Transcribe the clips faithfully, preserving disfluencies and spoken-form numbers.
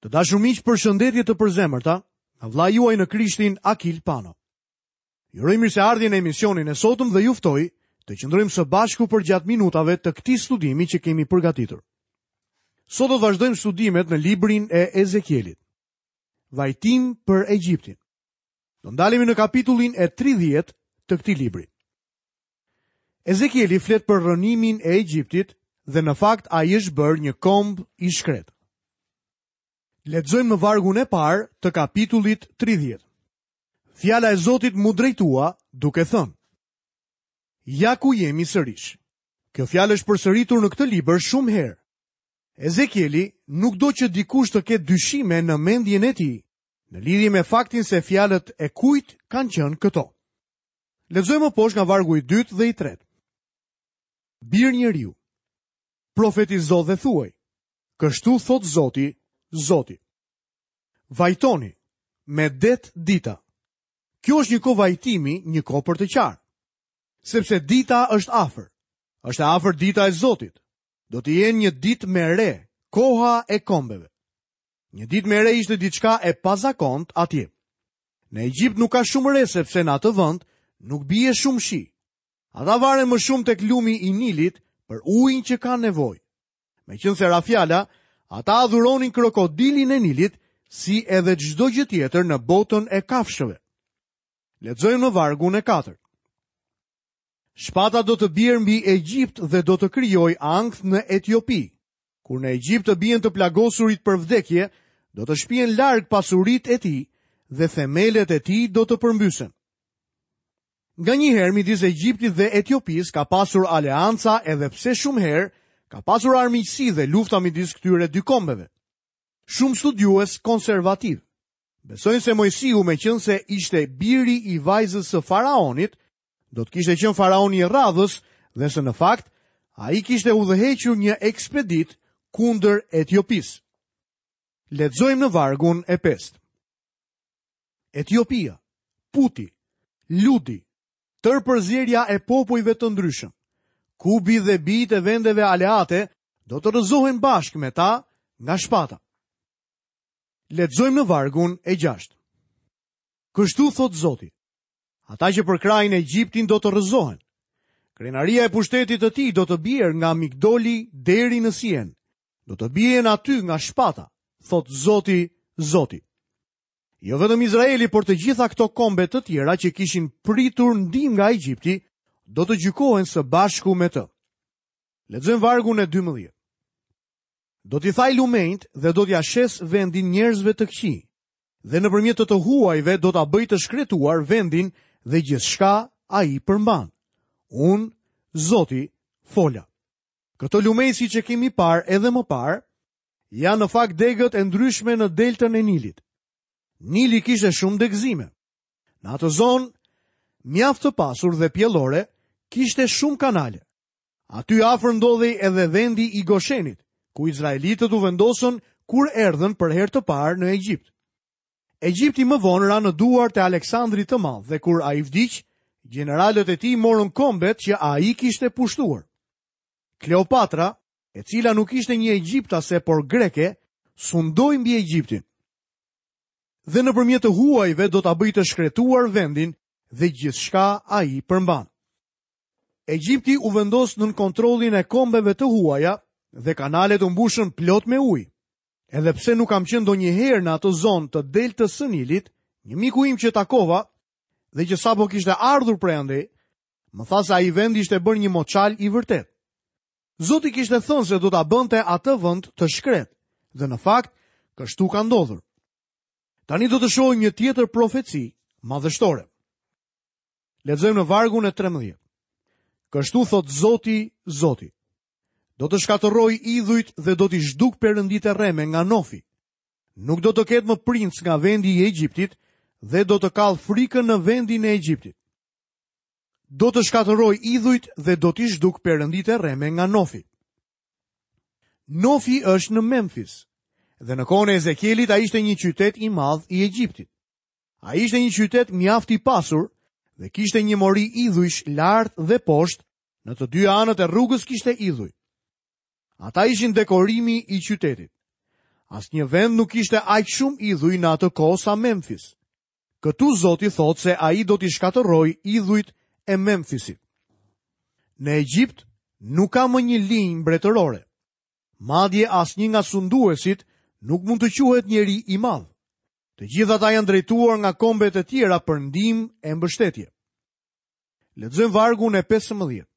Të dashur miq, përshëndetje të përzemërta nga vëllai juaj në Krishtin Akil Pano. Ju uroj mirëseardhjen në emisionin e sotëm dhe ju ftoj të qëndrojmë së bashku përgjatë minutave të këtij studimi që kemi përgatitur. Sot do të vazhdojmë studimet në librin e Ezekielit. Vajtim për Egjiptin. Do ndalemi në kapitullin e tridhjetë të këtij libri. Ezekieli flet për rrënimin e Egjiptit dhe në fakt ai është bërë një komb i shkret. Lexojmë në vargun e parë të kapitullit tridhjetë. Fjala e Zotit mu drejtua duke thënë: Ja ku jemi sërish. Kjo fjalë është përsëritur në këtë libër shumë herë. Ezekieli nuk do që dikush të ketë dyshime në mendjen e tij, në lidhje me faktin se fjalët e kujt kanë qenë këto. Lexojmë më poshtë nga vargu i dytë dhe i tretë. Bir njeriu, profetizo dhe thuaj: Kështu thot Zoti, Zoti. Vajtoni me det dita. Kjo është një kohë vajtimi, një kohë për të qarë. Sepse dita është afër. Është e afër dita e Zotit. Do të jenë një ditë me re, koha e kombeve. Një ditë me re ishte diçka e pazakont atje. Në Egjipt nuk ka shumë re sepse në atë vend nuk bie shumë shi. Ata varen më shumë tek lumi i Nilit për ujin që kanë nevojë. Meqenëse ra fjala, ata adhuronin krokodilin e Nilit si edhe çdo gjë tjetër në botën e kafshëve. Lexojmë në vargun e katërt. Shpata do të bjerë mbi Egjipt dhe do të krijojë ankth në Etiopi. Kur në Egjipt të bien të plagosurit për vdekje, do të shpien larg pasuritë e tij dhe themelet e tij do të përmbysen. Nga një herë midis Egjiptit dhe Etiopisë ka pasur aleanca edhe pse shumë herë ka pasur armiqësi dhe lufta midis këtyre dy kombeve. Shumë studiues konservativ besojnë se Moisiu, meqenëse ishte biri i vajzës së faraonit, do të kishte qenë faraoni i radhës dhe se në fakt ai kishte udhëhequr një ekspedit kundër Etiopisë. Lexojmë në vargun e pestë. Etiopia, Puti, Ludi, tërë përzierja e popujve të ndryshëm, Kubi dhe bijtë e vendeve aleate do të rrëzohen bashkë me ta nga shpata. Lexojmë në vargun e gjashtë. Kështu thot Zoti: Ata që përkrahin Egjiptin do të rrëzohen. Krenaria e pushtetit të tij do të bjerë nga Migdoli deri në Sien. Do të bien aty nga shpata, thot Zoti, Zoti. Jo vetëm Izraeli, por të gjitha këto kombe të tjera që kishin pritur ndihmë nga Egjipti, do të gjykohen së bashku me të. Lexojmë vargun e dymbëdhjetë. Do t'i thaj lumenjt dhe do t'ja shes vendin njerëzve të këqij, dhe nëpërmjet të të huajve do ta bëj të shkretuar vendin dhe gjithçka ai përmban. Unë, Zoti, fola. Këto lumenj, siç e kemi parë edhe më parë, janë në fakt degët e ndryshme në deltën e Nilit. Nili kishte shumë degëzime. Në atë zonë, mjaft të pasur dhe pjellore, kishte shumë kanale. Aty afër ndodhej edhe vendi i Goshenit, ku izraelitët u vendosën kur erdhën për herë të parë në Egjipt. Egjipti më vonë ra në duart e Aleksandrit të Madh dhe kur ai vdiq, gjeneralët e tij morën kombet që ai kishte pushtuar. Kleopatra, e cila nuk ishte një egjiptase por greke, sundoi mbi Egjiptin. Dhe nëpërmjet të huajve do ta bëjë të shkretuar vendin dhe gjithçka ai përmban. Egjipti u vendos nën kontrollin e kombeve të huaja dhe kanalet u mbushën plot me ujë. Edhe pse nuk kam qenë ndonjëherë në atë zonë të deltës së Nilit, një miku im që takova dhe që sapo kishte ardhur prej andej, më tha se ai vend ishte bërë një moçal i vërtet. Zoti kishte thënë se do ta bënte atë vend të shkret, dhe në fakt kështu ka ndodhur. Tani do të shohim një tjetër profeci madhështore. Lexojmë në vargun e trembëdhjetë. Kështu thot Zoti, Zoti: Do të shkatërroj idhujt dhe do t'i zhduk perënditë e rreme nga Nofi. Nuk do të ketë më princ nga vendi i Egjiptit dhe do të kall frikën në vendin e Egjiptit. Do të shkatërroj idhujt dhe do t'i zhduk perënditë e rreme nga Nofi. Nofi është në Memphis dhe në kohën e Ezekielit ai ishte një qytet i madh i Egjiptit. Ai ishte një qytet mjaft i pasur dhe kishte një mori idhujsh lart dhe poshtë, në të dy anët e rrugës kishte idhuj. Ata ishin dekorimi i qytetit. Asnjë vend nuk ishte aq shumë idhuj në atë kohë sa Memphis. Këtu Zoti thotë se ai do t'i shkatërrojë idhujt e Memphisit. Në Egjipt nuk ka më një linjë mbretërore. Madje asnjë nga sunduesit nuk mund të quhet njeri i madh. Të gjithë ata janë drejtuar nga kombet e tjera për ndihmë e mbështetje. Lexojmë vargun e pesëmbëdhjetë.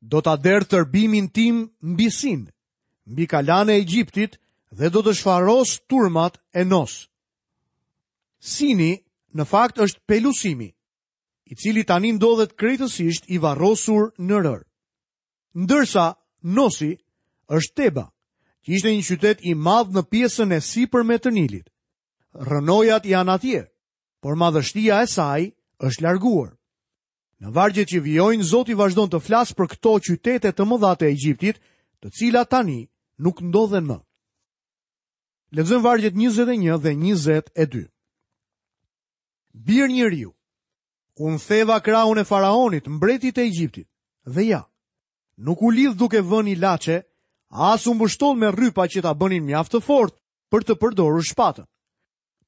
Do ta derdh tërbimin tim mbi Sin, mbi kalanë e Egjiptit dhe do të shfaros turmat e Nos. Sini në fakt është Pelusimi, i cili tani ndodhet krejtësisht i varrosur në rër. Ndërsa Nosi është Teba, që ishte një qytet i madh në pjesën e sipërme të Nilit. Rrënojat janë atje, por madhështia e saj është larguar. Në vargjet që vijojnë, Zoti vazhdon të flasë për këto qytete të mëdha të Egjiptit, të cilat tani nuk ndodhen më. Lexojmë vargjet njëzet e një dhe njëzet e dy. Bir njeriu, unë theva krahun e faraonit, mbretit të Egjiptit, dhe ja, nuk u lidh duke vënë ilaçe, as u mbështoll me rrypa që ta bënin mjaft të fortë për të përdorur shpatën.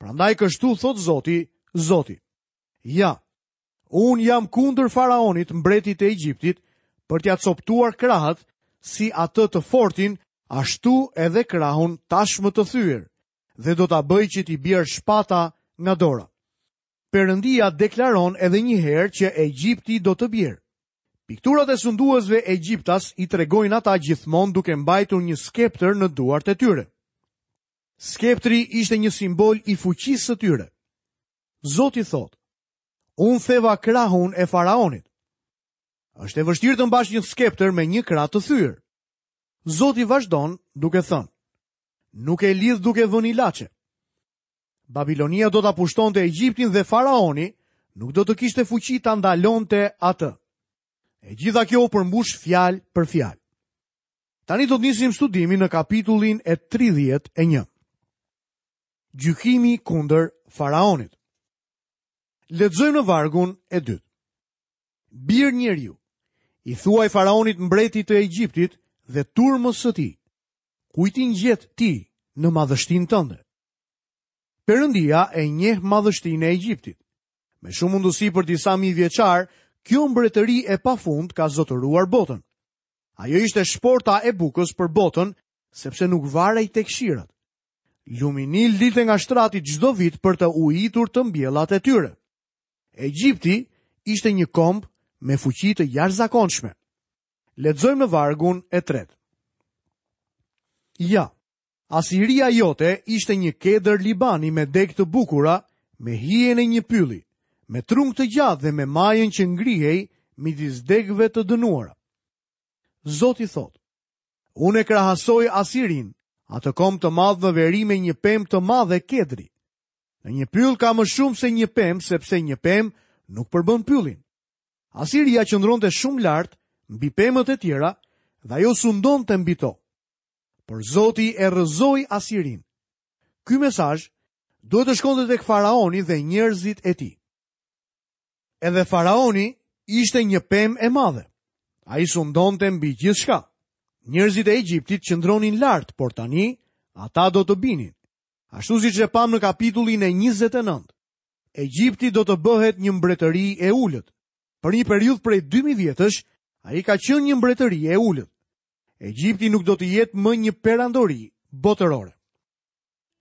Prandaj kështu thot Zoti, Zoti. Ja, unë jam kundër faraonit, mbretit të Egjiptit, për t'ia coptuar krahët si atë të fortin, ashtu edhe krahun tashmë të thyer, dhe do ta bëj që t'i bjerë shpata nga dora. Perëndia deklaron edhe një herë që Egjipti do të bjerë. Pikturat e sunduesve egjiptas i tregojnë ata gjithmonë duke mbajtur një skeptër në duart e tyre. Skeptri ishte një simbol i fuqisë së tyre. Zoti thotë: Unë theva krahun e faraonit. Është e vështirë të mbash një skeptër me një krah të thyer. Zoti vazhdon duke thënë: Nuk e lidh duke vënë ilaçe. Babilonia do ta pushtonte Egjiptin dhe faraoni nuk do të kishte fuqi ta ndalonte atë. E gjitha kjo u përmbush fjalë për fjalë. Tani do të nisim studimin në kapitullin e tridhjetë e një. Gjykimi kundër faraonit. Lexojmë në vargun e dytë. Bir njeriu, i thuaj faraonit mbretit të Egjiptit dhe turmës së tij, kujt i ngjet ti në madhështinë tënde? Perëndia e njeh madhështinë e Egjiptit. Me shumë mundësi për disa mijë vjeçar, kjo mbretëri e pafund ka zotëruar botën. Ajo ishte shporta e bukës për botën, sepse nuk varej tek shirat. Lumi Nil dilte nga shtrati çdo vit për të ujitur të mbjellat e tyre. Egjipti ishte një komb me fuqi të jashtëzakonshme. Lexojmë në vargun e tretë. Ja, Asiria jote ishte një kedër Libani me degë të bukura, me hijen e një pylli, me trung të gjatë dhe me majën që ngrihej midis degëve të dënuara. Zoti thotë: Unë e krahasoj Asirin, atë komb të madh në veri me një pemë të madhe kedri. Në një pyll ka më shumë se një pemë, sepse një pemë nuk përbën pyllin. Asiria qëndronte shumë lart mbi pemët e tjera dhe ajo sundonte mbi to. Por Zoti e rrëzoi Asirin. Ky mesazh duhet të shkonte tek faraoni dhe njerëzit e tij. Edhe faraoni ishte një pemë e madhe. Ai sundonte mbi gjithçka. Njerëzit e Egjiptit qëndronin lart, por tani ata do të binin. Ashtu siç e pam në kapitullin e njëzet e nëntë. Egjipti do të bëhet një mbretëri e ulët. Për një periudhë prej dy mijë vjetësh, ai ka qenë një mbretëri e ulët. Egjipti nuk do të jetë më një perandori botërore.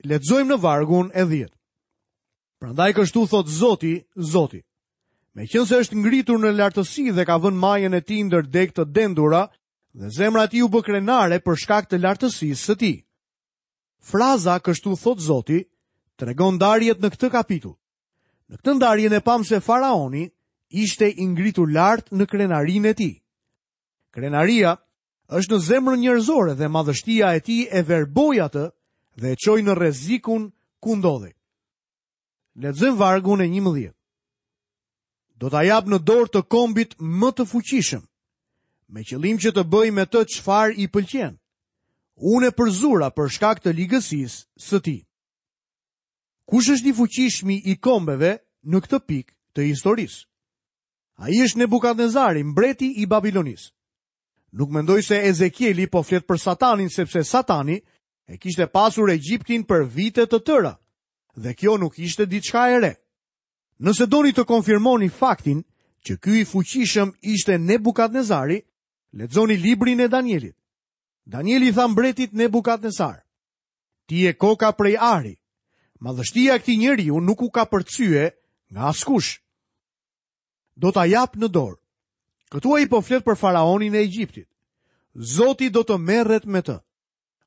Lexojmë në vargun e dhjetë. Prandaj kështu thot Zoti, Zoti. Meqense është ngritur në lartësi dhe ka vënë majën e tij ndër degë të dendura, dhe zemra e tij u bë krenare për shkak të lartësisë së tij. Fraza kështu thot Zoti tregon ndarjet në këtë kapitull. Në këtë ndarje ne pam se faraoni ishte i ngritur lart në krenarinë e tij. Krenaria është në zemrën njerëzore dhe madhështia e tij e verboi atë dhe e çoi në rrezikun ku ndodhej. Lexojmë vargun e njëmbëdhjetë. Do ta jap në dorë të kombit më të fuqishëm, me qëllim që të bëj me të çfarë i pëlqen. Unë e përzura për shkak të ligësisë së tij. Kush është i fuqishmi i kombeve në këtë pikë të historisë? Ai është Nebukadnezari, mbreti i Babilonisë. Nuk mendoj se Ezekieli po flet për Satanin, sepse Satani E kishte pasur Egjiptin për vite të tëra dhe kjo nuk ishte diçka e re. Nëse doni të konfirmoni faktin që ky i fuqishëm ishte Nebukadnezari, lexoni librin e Danielit. Danieli i tha mbretit Nebukadnezar: "Ti je koka prej ari. Madhështia e këtij njeriu nuk u kapërcye nga askush. Do ta jap në dorë." Këtu ai po flet për faraonin e Egjiptit. Zoti do të merret me të.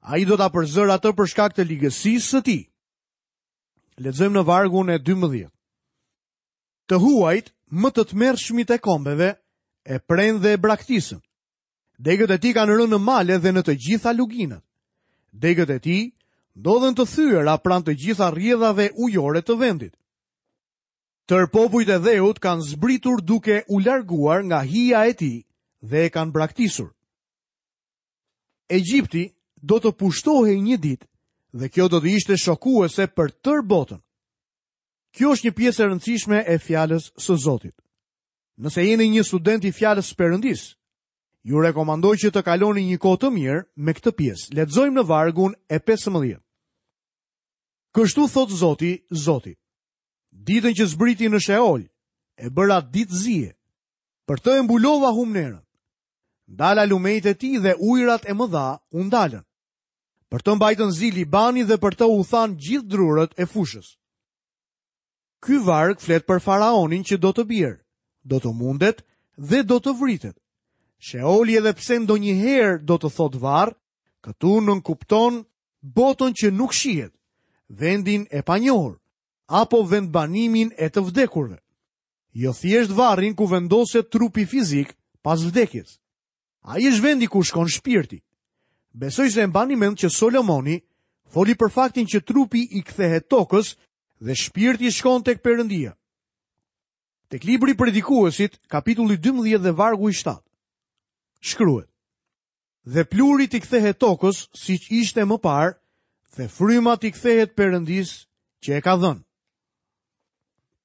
Ai do ta përzërë atë për shkak të ligësisë së tij. Lexojmë në vargun e dymbëdhjetë. Të huajt, më të tmerrshmit e kombeve, e prenë dhe e braktisën. Degët e tij kanë rënë në male dhe në të gjitha luginat. Degët e tij ndodhen të thyera pranë të gjitha rrjedhave ujore të vendit. Tër popujt e dheut kanë zbritur duke u larguar nga hija e tij dhe e kanë braktisur. Egjipti do të pushtohej një ditë dhe kjo do të ishte shokuese për tërë botën. Kjo është një pjesë e rëndësishme e fjalës së Zotit. Nëse jeni një student i fjalës së Perëndisë, ju rekomandoj që të kaloni një kohë të mirë me këtë pjesë. Lexojmë në vargun e pesëmbëdhjetë. Kështu thot Zoti, Zoti: Ditën që zbriti në Sheol, e bëra ditë zie. Për të e mbulova humnerën. Ndala lumejt e tij dhe ujërat e mëdha u ndalën. Për të mbajtën zi Libani dhe për të u than gjithë drurët e fushës. Ky varg flet për faraonin që do të bjerë, do të mundet dhe do të vritet. Sheoli edhe pse ndonjëherë do të thotë varr, këtu nënkupton botën që nuk shihet, vendin e panjohur, apo vendbanimin e të vdekurve. Jo thjesht varrin ku vendoset trupi fizik pas vdekjes. Ai është vendi ku shkon shpirti. Besoj se e mbani mend që Solomoni foli për faktin që trupi i kthehet tokës dhe shpirti shkon tek Perëndia. Tek libri i Predikuesit, kapitulli dymbëdhjetë dhe vargu i shtatë, shkruhet: Dhe plurit i kthehet tokës siç ishte më parë, dhe fryma t'i kthehet Perëndisë që e ka dhënë.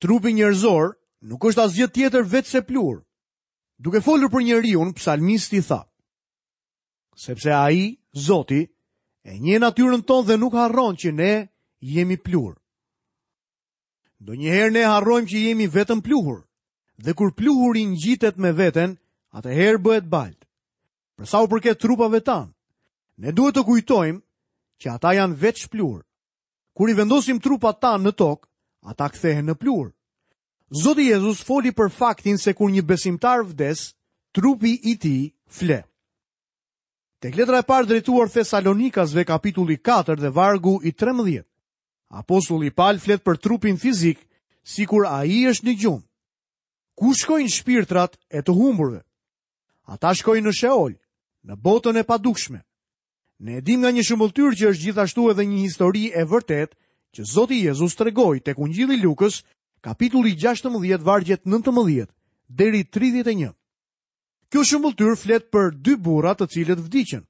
Trupi njerëzor nuk është asgjë tjetër veçse pluhur. Duke folur për njeriun, psalmisti tha: Sepse ai, Zoti, e njeh natyrën tonë dhe nuk harron që ne jemi pluhur. Ndonjëherë ne harrojmë që jemi vetëm pluhur, dhe kur pluhuri ngjitet me veten, atëherë bëhet baltë. Për sa u përket trupave tanë, ne duhet të kujtojmë që ata janë veç pluhur. Kur i vendosim trupat tanë në tokë, ata kthehen në pluhur. Zoti Jezus foli për faktin se kur një besimtar vdes, trupi i tij fle. Tek letra e parë drejtuar Thesalonikasve, kapitulli katër dhe vargu i trembëdhjetë, Apostulli Paul flet për trupin fizik, sikur ai është në gjumë. Ku shkojnë shpirtrat e të humburve? Ata shkojnë në Sheol, në botën e padukshme. Ne e dim nga një shëmbëlltyrë që është gjithashtu edhe një histori e vërtetë që Zoti Jezus tregoi tek Ungjilli i Lukës, kapitulli gjashtëmbëdhjetë, vargjet nëntëmbëdhjetë deri tridhjetë e një. Kjo shëmbëlltyrë flet për dy burra të cilët vdiqën.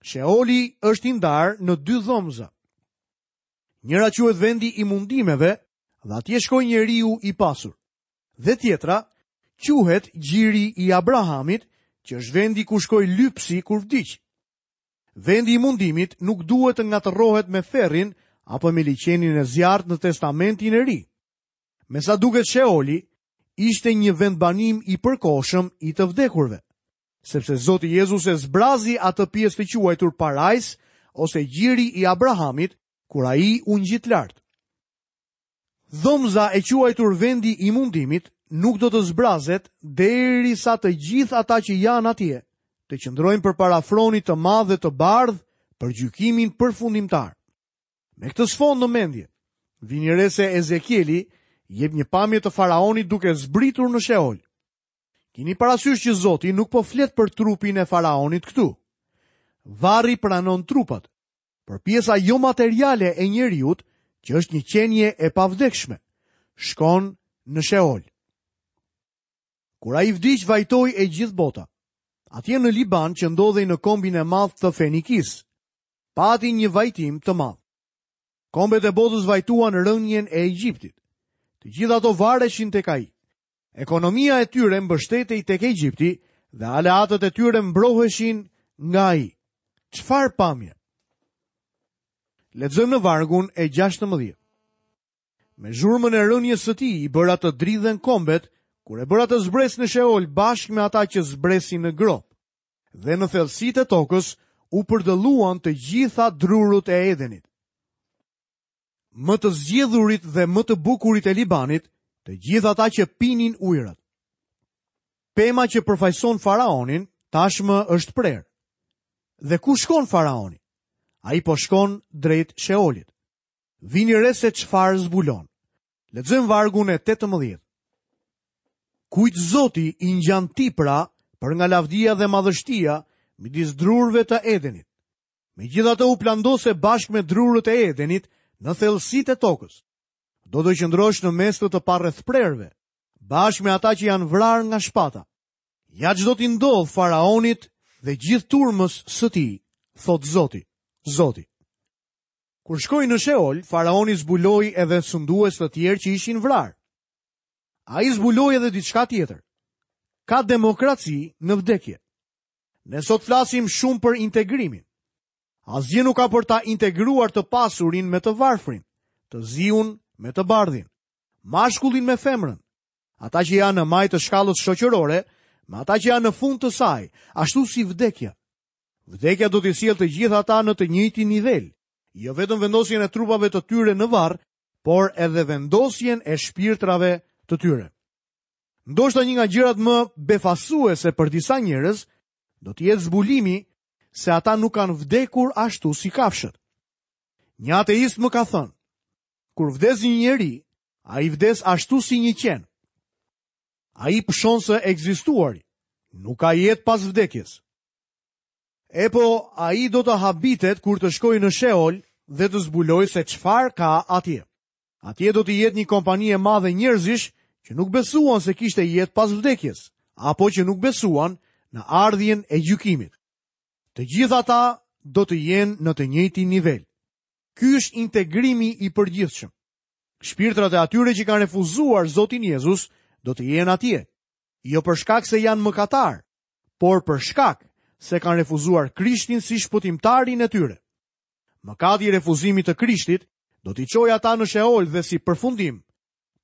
Sheoli është i ndarë në dy dhomza. Njëra quhet vendi i mundimeve dhe atje shkoi njeriu i pasur. Dhe tjetra quhet gjiri i Abrahamit, që është vendi ku shkoi lypsi kur vdiq. Vendi i mundimit nuk duhet të ngatërrohet me ferrin apo me liqenin e zjarrit në Testamentin e Ri. Me sa duket Sheoli ishte një vendbanim i përkohshëm i të vdekurve, sepse Zoti Jezus e zbrazi atë pjesë të quajtur parajs ose gjiri i Abrahamit kur ai u ngjit lart. Dhomza e quajtur vendi i mundimit nuk do të zbrazet derisa të gjithë ata që janë atje të qëndrojnë përpara fronit të madh dhe të bardhë për gjykimin përfundimtar. Me këtë sfond në mendje, vini re se Ezekieli jep një pamje të faraonit duke zbritur në Sheol. Kini parasysh që Zoti nuk po flet për trupin e faraonit këtu. Varri pranon trupat, por pjesa jo materiale e njeriut, që është një qenie e pavdekshme, shkon në Sheol. Kur ai vdiq, vajtoi e gjithë bota. Atje në Liban, që ndodhej në kombin e madh të Fenikisë, pati një vajtim të madh. Kombet e botës vajtuan rënien e Egjiptit. Të gjitha ato vareshin tek ai. Ekonomia e tyre mbështetej tek Egjipti dhe aleatët e tyre mbroheshin nga ai. Çfarë pamje? Lexojmë në vargun e gjashtëmbëdhjetë. Me zhurmën e rënies së tij i bëra të dridhen kombet, kur e bëra të zbres në Sheol bashkë me ata që zbresin në gropë. Dhe në thellësitë e tokës u përdëlluan të gjitha drurët e Edenit. Më të zgjedhurit dhe më të bukurit e Libanit, të gjithë ata që pinin ujërat. Pema që përfaqëson faraonin tashmë është prerë. Dhe ku shkon faraoni? Ai po shkon drejt Sheolit. Vini re se çfarë zbulon. Lexojmë vargun e tetëmbëdhjetë. Kujt Zoti i ngjan ti pra për nga lavdia dhe madhështia midis drurëve të Edenit. Megjithatë u plandose bashkë me drurët e Edenit në thellësitë e tokës. Do të qëndrosh në mes të të parrethprerëve, bashkë me ata që janë vrarë nga shpata. Ja ç'do t'i ndodh faraonit dhe gjithë turmës së tij, thot Zoti, Zoti. Kur shkoi në Sheol, faraoni zbuloi edhe sundues të tjerë që ishin vrarë. Ai zbuloi edhe diçka tjetër. Ka demokraci në vdekje. Ne sot flasim shumë për integrimin. Asgjë nuk ka për ta integruar të pasurin me të varfrin, të ziun me të bardhin, mashkullin me femrën, ata që janë në majë të shkallës shoqërore, me ata që janë në fund të saj, ashtu si vdekja. Vdekja do t'i sjellë të gjithë ata në të njëjtin nivel, jo vetëm vendosjen e trupave të tyre në varr, por edhe vendosjen e shpirtrave të tyre. Ndoshta një nga gjërat më befasuese për disa njerëz do të jetë zbulimi se ata nuk kanë vdekur ashtu si kafshët. Një ateist më ka thënë, kur vdes një njeri, ai vdes ashtu si një qen. Ai pëshon së ekzistuari, nuk ka jetë pas vdekjes. E po, ai do të habitet kur të shkojë në Sheol dhe të zbulojë se çfarë ka atje. Atje do të jetë një kompani e madhe njerëzish që nuk besuan se kishte jetë pas vdekjes, apo që nuk besuan në ardhjen e gjykimit. Të gjithë ata do të jenë në të njëjtin nivel. Ky është integrimi i përgjithshëm. Shpirtrat e atyre që kanë refuzuar Zotin Jezus do të jenë atje, jo për shkak se janë mëkatar, por për shkak se kanë refuzuar Krishtin si shpëtimtarin e tyre. Mëkati i refuzimit të Krishtit do t'i çojë ata në Sheol dhe si përfundim,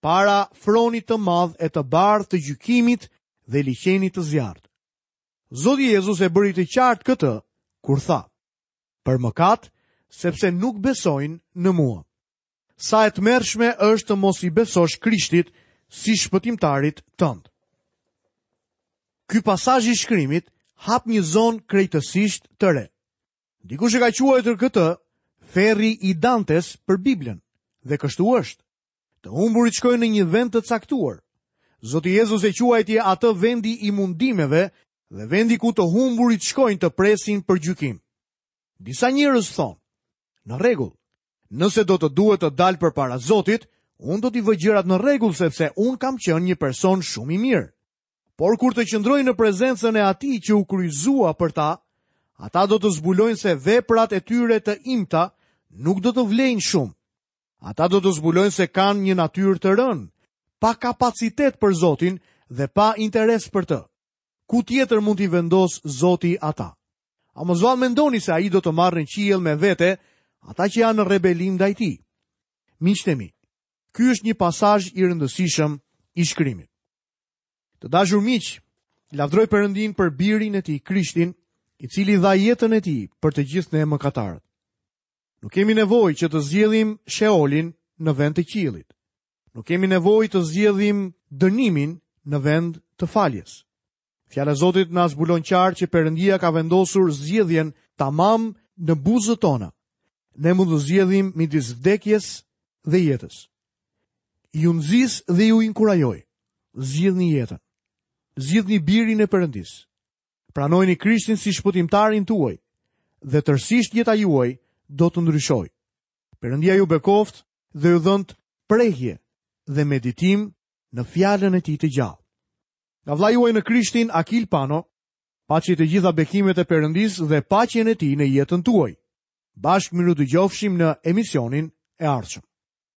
para fronit të madh e të bardhë të gjykimit dhe liqenit të zjarrit. Zoti Jezus e bëri të qartë këtë kur tha: "Për mëkat, sepse nuk besojnë në mua." Sa e tmerrshme është të mos i besosh Krishtit si shpëtimtarit tënd. Ky pasazh i shkrimit hap një zonë krejtësisht të re. Dikush e ka quajtur këtë ferri i Dantes për Biblën, dhe kështu është. Të humburit shkojnë në një vend të caktuar. Zoti Jezus e quajti atë vendi i mundimeve dhe vendi ku të humburit shkojnë të presin për gjykim. Disa njerëz thonë, në rregull, nëse do të duhet të dal përpara Zotit, unë do t'i vë gjërat në rregull sepse unë kam qenë një person shumë i mirë. Por kur të qëndrojnë në prezencën e atij që u kryqëzua për ta, ata do të zbulojnë se veprat e tyre të imta nuk do të vlejnë shumë. Ata do të zbulojnë se kanë një natyrë të rënë, pa kapacitet për Zotin dhe pa interes për të. Ku tjetër mund t'i vendos Zoti ata? A mos vallë mendoni se ai do të marrë në qiell me vete ata që janë në rebelim ndaj tij? Miqtë e mi, ky është një pasazh i rëndësishëm i shkrimit. Të dashur miq, lavdroj Perëndin për birin e tij, Krishtin, i cili dha jetën e tij për të gjithë ne mëkatarët. Nuk kemi nevojë që të zgjedhim Sheolin në vend të qiellit. Nuk kemi nevojë të zgjedhim dënimin në vend të faljes. Fjala e Zotit na zbulon qartë që Perëndia ka vendosur zgjedhjen tamam në buzët tona. Ne mund të zgjedhim midis vdekjes dhe jetës. Ju nxis dhe ju inkurajoj. Zgjidhni jetën. Zgjidhni birin e Perëndisë. Pranojeni Krishtin si shpëtimtarin tuaj dhe tërësisht jeta juaj do të ndryshojë. Perëndia ju bekoft dhe ju dhënt prehje dhe meditim në fjalën e tij të gjallë. Nga vëllai juaj në Krishtin, Akil Pano, paçi të gjitha bekimet e Perëndisë dhe paqen e tij në jetën tuaj. Bashkë mirudëgjofshim në emisionin e ardhshëm.